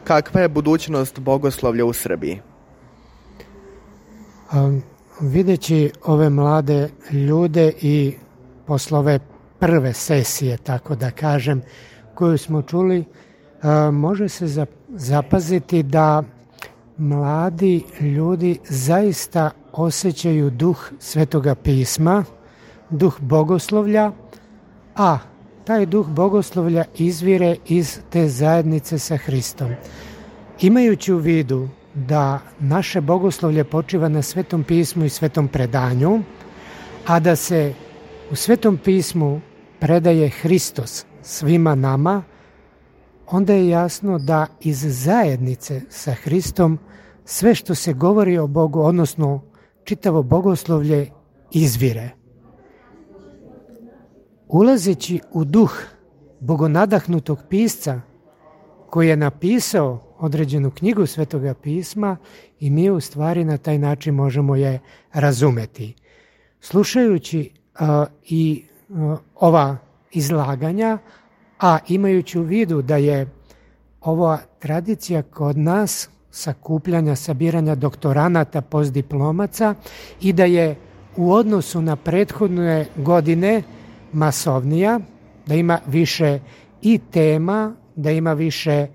kakva je budućnost bogoslovlja u Srbiji? Videći ove mlade ljude i posle ove prve sesije, tako da kažem, koju smo čuli, može se zapaziti da mladi ljudi zaista osjećaju duh Svetoga pisma, duh bogoslovlja, a taj duh bogoslovlja izvire iz te zajednice sa Hristom. Imajući u vidu da naše bogoslovlje počiva na Svetom pismu i Svetom predanju, a da se u Svetom pismu predaje Hristos svima nama, onda je jasno da iz zajednice sa Hristom sve što se govori o Bogu, odnosno čitavo bogoslovlje, izvire. Ulazeći u duh bogonadahnutog pisca koji je napisao određenu knjigu Svetoga pisma, i mi u stvari na taj način možemo je razumeti. Slušajući ova izlaganja, a imajući u vidu da je ova tradicija kod nas sakupljanja, sabiranja doktoranata, postdiplomaca, i da je u odnosu na prethodne godine masovnija, da ima više i tema, da ima više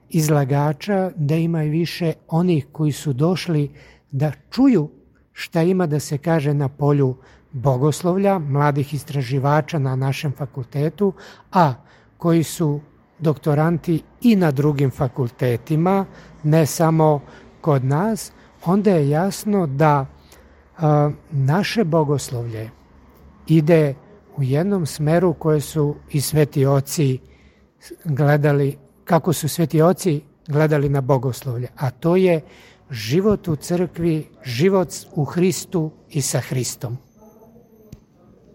izlagača, da ima i više onih koji su došli da čuju šta ima da se kaže na polju bogoslovlja, mladih istraživača na našem fakultetu, a koji su doktoranti i na drugim fakultetima, ne samo kod nas, onda je jasno da naše bogoslovlje ide u jednom smeru koje su i sveti oci gledali, kako su sveti oci gledali na bogoslovlje, a to je život u crkvi, život u Hristu i sa Hristom.